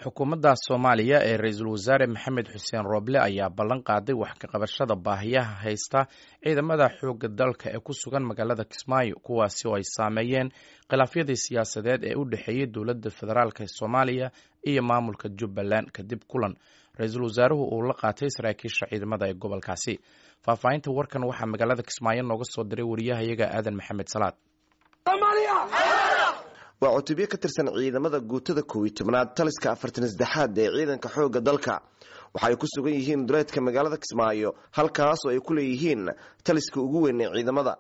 Xukuumadda Soomaaliya ee Ra-iisul Wasaare Maxamed Xuseen Rooble ayaa ballan qaaday wax ka qabashada baahiyaha haysta ciidamada xoogga dalka ee ku sugan magaalada Kismaayo, kuwaasi oo ay saameeyeen khilaafyadii siyaasadeed ee u dhexeeyey dowladda federaalk ee Soomaaliya iyo maamulka Jubbaland kadib kulan ra-iisul wasaaruhu uu la qaatay saraakiisha ciidamada ee gobolkaasi. Faahfaahinta warkan waxaa magaalada Kismaayo nooga soo diray wariyahayaga Aadan Maxamed Salaad. Waa cutubyo ka tirsan ciidamada guutada 11aad taliska 43aad ee ciidanka xoogga dalka. Waxaay ku sugan yihiin duleedka magaalada Kismaayo, halkaas oo ay ku leeyihiin taliska ugu weyn ee ciidamada.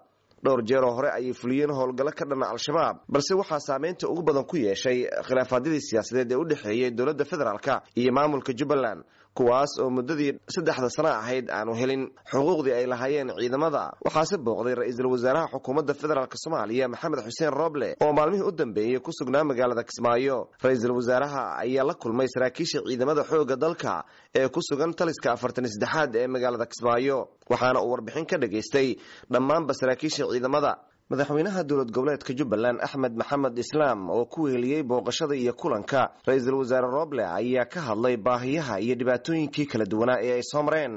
Dhowr jeeroo hore ayay fuliyeen howlgallo ka dhana Al-Shabaab, balse waxaa saameynta ugu badan ku yeeshay khilaafaadyadii siyaasadeed ee u dhexeeyey dowladda federaalka iyo maamulka Jubbaland, kuwaas oo muddadii 3da sano ahayd aanu helin xuquuqdii ay lahaayeen ciidamada. Waxaase booqday ra-iisul wasaaraha xukuumadda federaalk Soomaaliya Maxamed Xuseen Rooble oo maalmihii u dambeeyey ku sugnaa magaalada Kismaayo. Ra-iisul wasaaraha ayaa la kulmay saraakiisha ciidamada xoogga dalka ee ku sugan taliska 43aad ee magaalada Kismaayo, waxaana uu warbixin ka dhagaystay dhammaanba saraakiisha ciidamada. Madaxweynaha dowlad goboleedka Jubbaland Axmed Maxamed Islaam oo ku weheliyey booqashada iyo kulanka ra-iisul wasaare Rooble ayaa ka hadlay baahiyaha iyo dhibaatooyinkii kala duwanaa ee ay soo mareen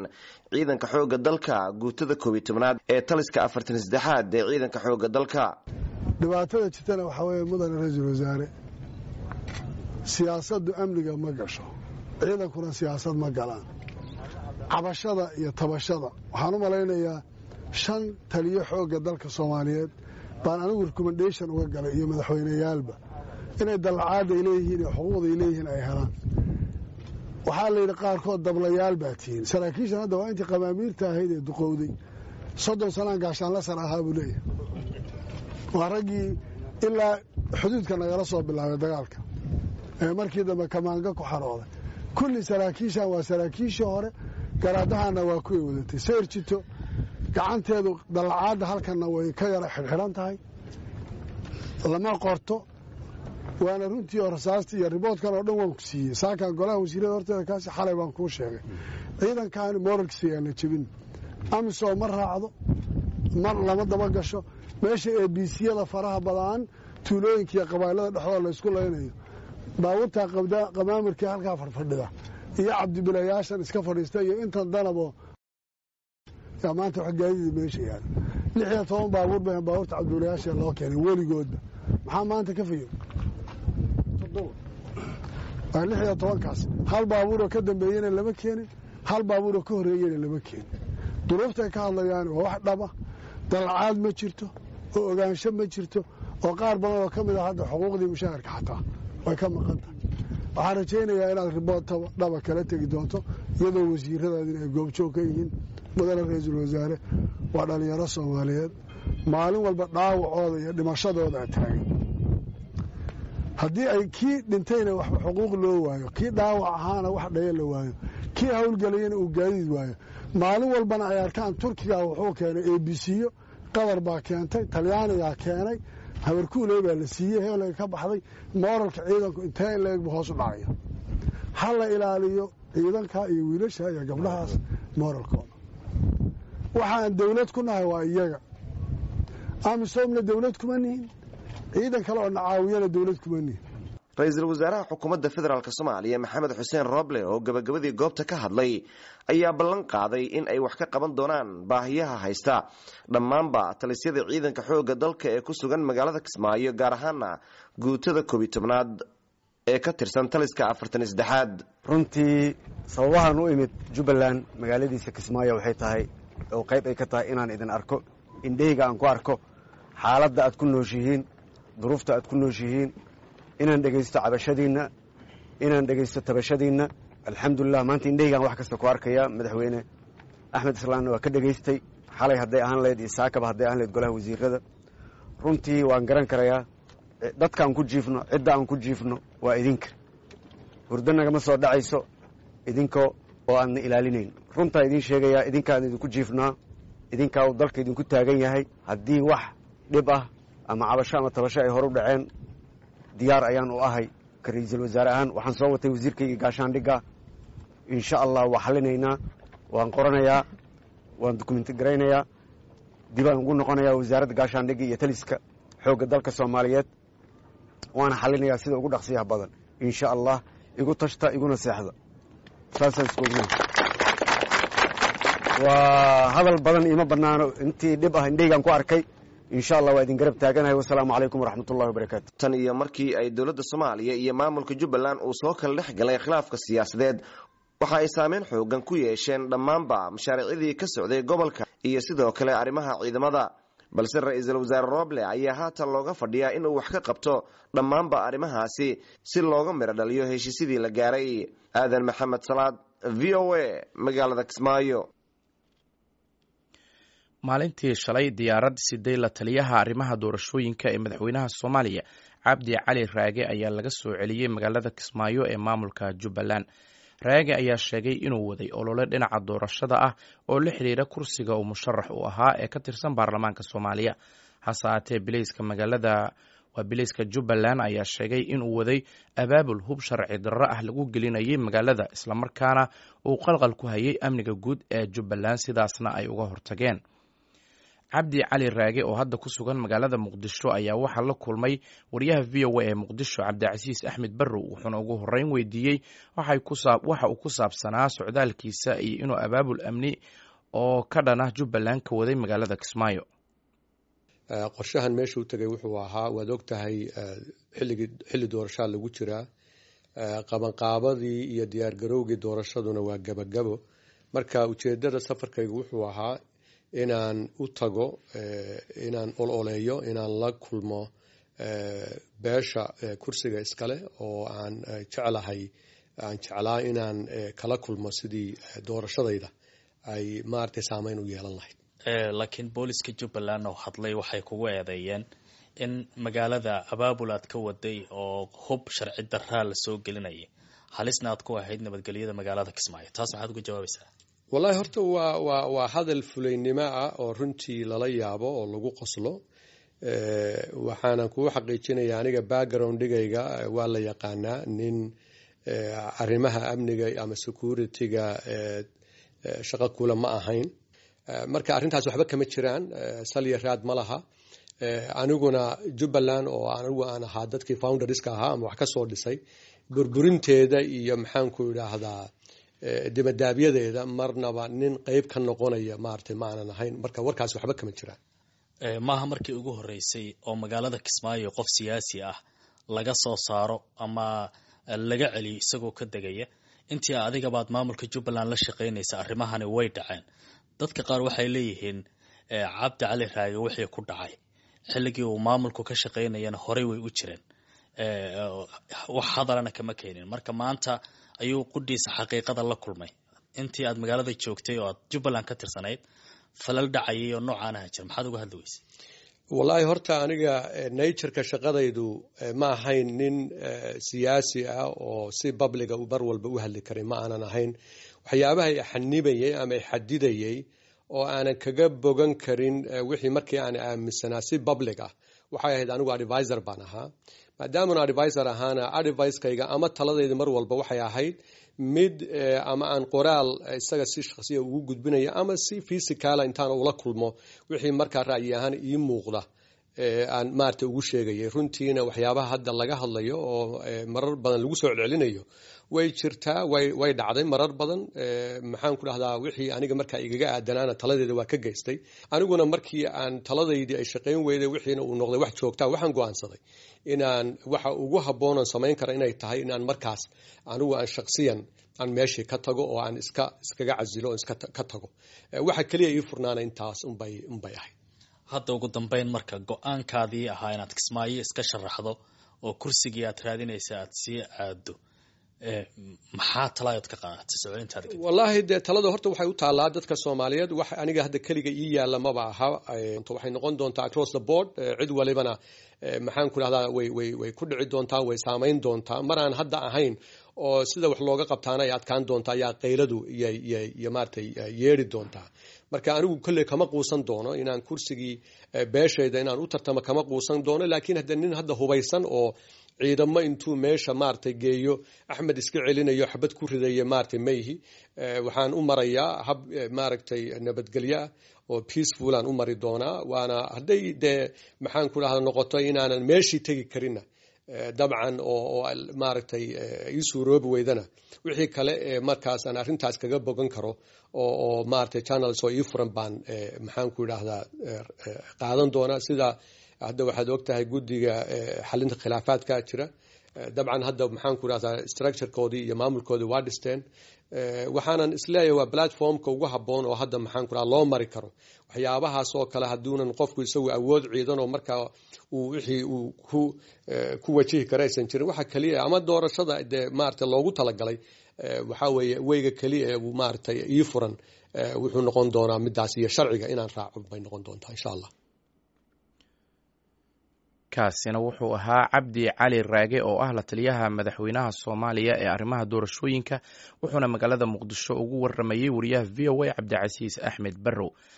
ciidanka xoogga dalka guutada 11aad ee taliska 43aad ee ciidanka xoogga dalka. Dhibaatada jirtana waxaa weeye, mudane ra-iisul wasaare, siyaasaddu amniga ma gasho, ciidankuna siyaasad ma galaan. Cabashada iyo tabashada waxaan u malaynayaa 5 taliyo xoogga dalka Soomaaliyeed baan anigu recommendation uga galay iyo madaxweyneyaalba inay dallacaadda ay leeyihiin iyo xuquuqda ay leeyihiin ay helaan. Waxaa la yidhi qaarkood dablayaal baa tihiin. Saraakiishan hadda waa intii qamaamiirta ahayd ee duqowday. 30 sanaan gaashaanla sar ahaa buu leeyahay. Waa raggii ilaa xuduudka nagala soo bilaabay dagaalka ee markii dambe kamaanga ku xarooday. Kulli saraakiishan waa saraakiishii hore, garaadahana waa kuway wadatay sayr jito gacanteedu. Dallacaadda halkanna way ka yara xidhxidhan tahay, lama qorto, waana runtii oo rasaastii iyo riboodkan oo dhan waan ku siiyey saakan golaha wasiirada horteeda. Kaasi xalay baan kuu sheegay. Ciidankaani moralkiisa yaan la jebin. AMISOM ma raacdo, mar lama daba gasho meesha ABCyada faraha badaan, tuulooyinka iyo qabailada dhexdooda laysku laynayo, baabuurta qamaamirkii halkaa fadhfadhida iyo cabdibilayaashan iska fadhiista iyo intan danabo. Yaa maanta wax gaadiida meesha yaala? 16 baabuur ba baabuurta cabdibilayaasha loo keenay weligoodba. Maxaa maanta ka fayo? Waa 16kaas. Hal baabuuroo ka dambeeyena lama keenin, hal baabuuroo ka horreeyena lama keenin. Duruuftay ka hadlayaan waa wax dhaba. Dalacaad ma jirto oo ogaansho ma jirto oo qaar badan oo ka mid a hadda xuquuqdii mushaharka xataa way ka maqan tahay. Waxaan rajaynayaa inaad ribood dhaba kala tegi doonto iyadoo wasiiradaadin ay goobjoog ka yihiin. Mudane ra-iisul wasaare, waa dhallinyaro Soomaaliyeed, maalin walba dhaawacooda iyo dhimashadooda taagan. Haddii ay kii dhintayna wax xuquuq loo waayo, kii dhaawac ahaana wax dhaya la waayo, kii howlgelayana uu gaadiid waayo, maalin walbana ay arkaan Turkiga wuxuu keenay ABCyo, Qatar baa keentay, Talyaanigaa keenay, habarkuuley baa la siiyey, heelay ka baxday, mooralka ciidanku intee in leegbu hoos u dhacaya. Ha la ilaaliyo ciidanka iyo wiilasha iyo gabdhahaas mooralkooda. Waxaan dawlad ku nahay waa iyaga. AMISOMna dawlad kuma nihin, ciidan kale oo nacaawiyana dawlad kuma nihin. Ra-iisul wasaaraha xukuumadda federaalk Soomaaliya Maxamed Xuseen Rooble oo gabagabadii goobta ka hadlay ayaa ballan qaaday in ay wax ka qaban doonaan baahiyaha haysta dhammaanba talisyada ciidanka xoogga dalka ee ku sugan magaalada Kismaayo, gaar ahaana guutada 11aad ee ka tirsan taliska 43aad. Runtii sababahan u imid Jubbaland magaaladiisa Kismaayo waxay tahay oo qayb ay ka tahay inaan idin arko, indhahayga aan ku arko xaaladda aad ku nooshihiin, duruufta aad ku nooshihiin, inaan dhegaysto cabashadiinna, inaan dhegaysto tabashadiinna. Alxamdulilah, maanta indhahaygaan wax kasta ku arkaya. Madaxweyne Axmed Islaamna waa ka dhegaystay xalay hadday ahaan lahayd iyo saakaba hadday ahaan lahayd golaha wasiirada. Runtii waan garan karayaa dadka aan ku jiifno, cidda aan ku jiifno waa idinka. Hurdo nagama soo dhacayso idinka oo aadna ilaalinayn. Runtaa idiin sheegayaa, idinkaan idinku jiifnaa, idinkaa uu dalka idinku taagan yahay. Haddii wax dhib ah ama cabasho ama tabasho ay hor u dhaceen, diyaar ayaan u ahay ka ra-iisul wasaare ahaan. Waxaan soo watay wasiirkayga gaashaandhigga. Insha Allah waa xallinaynaa, waan qoranayaa, waan dukumenti garaynayaa, dibaan ugu noqonayaa wasaaradda gaashaandhigga iyo taliska xoogga dalka Soomaaliyeed, waana xallinayaa sida ugu dhaqsiyaha badan, insha Allah. Igu tashta, iguna seexda, saasaan isku ognahay. Waa hadal badan iima bannaano. Intii dhib ah indhaygaan ku arkay. Insha Allah waa idin garab taaganahay. Wasalaamu calaykum waraxmatullahi wabarakaatu. Tan iyo markii ay dowladda Soomaaliya iyo maamulka Jubbaland uu soo kala dhex galay khilaafka siyaasadeed, waxa ay saameyn xoogan ku yeesheen dhammaanba mashaariicdii ka socday gobolka iyo sidoo kale arrimaha ciidamada. Balse ra-iisul wasaare Roble ayaa haatan looga fadhiyaa inuu wax ka qabto dhammaanba arrimahaasi si looga midho dhaliyo heshiisyadii la gaaray. Aadan Maxamed Salaad, VOA, magaalada Kismaayo. Maalintii shalay diyaarad siday la taliyaha arrimaha doorashooyinka ee madaxweynaha Soomaaliya, Cabdi Cali Raage, ayaa laga soo celiyey magaalada Kismaayo ee maamulka Jubbaland. Raage ayaa sheegay inuu waday olole dhinaca doorashada ah oo la xiriira kursiga uu musharax u ahaa ee ka tirsan baarlamaanka Soomaaliya. Hase haatee, bileyska magaalada waa bileyska Jubbaland ayaa sheegay inuu waday abaabul hub sharci darro ah lagu gelinayay magaalada, islamarkaana uu qalqal ku hayay amniga guud ee Jubbaland, sidaasna ay uga hortageen. Cabdi Cali Raage oo hadda ku sugan magaalada Muqdisho ayaa waxaa la kulmay wariyaha VOA ee Muqdisho, Cabdicasiis Axmed Barrow, wuxuuna ugu horreyn weydiiyey waxa uu ku saabsanaa socdaalkiisa iyo inuu abaabul amni oo ka dhan ah Jubbaland ka waday magaalada Kismaayo. Qorshahan meesha u tegay wuxuu ahaa, waad og tahay, xilligii xilli doorashaa lagu jiraa, qabanqaabadii iyo diyaargarowgii doorashaduna waa gabagabo. Marka ujeedada safarkaygu wuxuu ahaa inaan u tago, inaan ololeeyo, inaan la kulmo beesha kursiga iskale oo aan jeclahay, aan jeclaa inaan kala kulmo sidii doorashadayda ay maaragtay saameyn u yeelan lahayd. Laakiin booliska Jubbaland oo hadlay waxay kugu eedeeyeen in magaalada abaabul aad ka waday oo hub sharci daraa lasoo gelinayay, halisna aad ku ahayd nabadgelyada magaalada Kismaayo. Taas maxaad uga jawaabaysaa? Wallahi horta waa hadal fulaynimo ah oo runtii lala yaabo oo lagu qoslo. Waxaanan kugu xaqiijinaya, aniga backgroundigayga waa la yaqaanaa, nin arrimaha amniga ama security-ga shaqo kula ma ahayn. Marka arrintaas waxba kama jiraan, salya raad ma laha. Aniguna Jubbaland oo anigu aan ahaa dadkii founderska ahaa ama wax ka soo dhisay, burburinteeda iyo maxaanku idhaahdaa dibadaabyadeeda marnaba nin qeyb ka noqonaya maaragtay ma aanan ahayn. Marka warkaas waxba kama jiraan. Maaha markii ugu horreysay oo magaalada Kismaayo qof siyaasi ah laga soo saaro ama laga celiyo isagoo ka degaya. Intii adigabaad maamulka Jubbaland la shaqaynaysa arrimahani way dhaceen. Dadka qaar waxay leeyihiin Cabdi Cali Raage wixii ku dhacay xilligii uu maamulku ka shaqaynayana horey way u jireen, wax hadalana kama keenin. Marka maanta ayuu qudhiisa xaqiiqada la kulmay. Intii aad magaalada joogtay oo aad Jubbaland ka tirsanayd falal dhacayay oo noocaanaha jira, maxaad uga hadli weysay? Wallaahi horta aniga natureka shaqadaydu ma ahayn nin siyaasi ah oo si publica mar walba u hadli karay, ma aanan ahayn. Waxyaabaha i xanibayay ama i xadidayay oo aanan kaga bogan karin wixii markii aan aaminsanaa si public ah waxay ahayd, anigu advisor baan ahaa. Maadaaman advisor ahaana, advicekayga ama taladayda mar walba waxay ahayd mid ama aan qoraal isaga si shakhsiya ugu gudbinayo ama si physical ah intaan ula kulmo wixii markaa ra'yi ahaan ii muuqda aan maaragtay ugu sheegayay. Runtiina waxyaabaha hadda laga hadlayo oo marar badan lagu soo celcelinayo way jirtaa, way dhacday marar badan. Maxaan ku dhahdaa, wixii aniga markaa igaga aadanaana taladeeda waa ka geystay. Aniguna markii aan taladaydii ay shaqayn weyday, wixiina uu noqday wax joogtaa, waxaan go'aansaday inaan waxa ugu habboonan samayn kara inay tahay inaan markaas anigu aan shakhsiyan aan meeshii ka tago oo aan iskaga casilo oo iska ka tago. Waxa keliya ii furnaana intaas unbay ahayd. Hadda ugu dambeyn, marka go-aankaadii ahaa inaad Kismaayo iska sharaxdo oo kursigii aad raadinaysa aad sii aado, maxaa talaayood ka qaadatay soo celintaada kadib? Wallaahi dee talada horta waxay u taallaa dadka Soomaaliyeed. Wax aniga hadda keliga ii yaalla maba aha. Waxay noqon doontaa across the board, cid walibana maxaan ku dhahdaa way ku dhici doontaa, way saamayn doontaa. Mar aan hadda ahayn oo sida wax looga qabtaana ay adkaan doontaa ayaa qayladu iyo maaragtay yeeri doontaa. Marka anigu kolley kama quusan doono inaan kursigii beeshayda inaan u tartamo, kama quusan doono. Laakiin hadda nin hadda hubaysan oo ciidamo intuu meesha maaragtay geeyo Axmed iska celinayo, xabad ku ridaya, maaragtay mayhi. Waxaan u marayaa hab maaragtay nabadgelyo ah oo peaceful aan u mari doonaa. Waana hadday dee maxaan ku dhahda noqoto inaanan meeshii tegi karinna. Dabcan oo maaragtay ii suuroobi weydana, wixii kale ee markaas aan arrintaas kaga bogan karo oo maaragtay channels oo ii furan baan, maxaan ku idhaahdaa, qaadan doonaa. Sida hadda waxaad ogtahay, guddiga xalinta khilaafaadka jira. Dabcan hadda, maxaan ku idhahdaa, structurekoodii iyo maamulkoodii waa dhisteen. Waxaanan isleeyahay waa platformka ugu habboon oo hadda, maxaan ku idhahdaa, loo mari karo waxyaabahaas oo kale, hadduunan qofku isagu awood ciidan oo markaa uu wixii uu ku wajihi kara aysan jirin. Waxa keliya ama doorashada dee maaragtay loogu talagalay waxaa weeye weyga keliya ee uu maaragtay ii furan wuxuu noqon doonaa midaas, iyo sharciga inaan raaco bay noqon doontaa, insha Allah. Kaasina wuxuu ahaa Cabdi Cali Raage oo ah la taliyaha madaxweynaha Soomaaliya ee arrimaha doorashooyinka, wuxuuna magaalada Muqdisho ugu waramayey wariyaha VOA Cabdicasiis Axmed Barrow.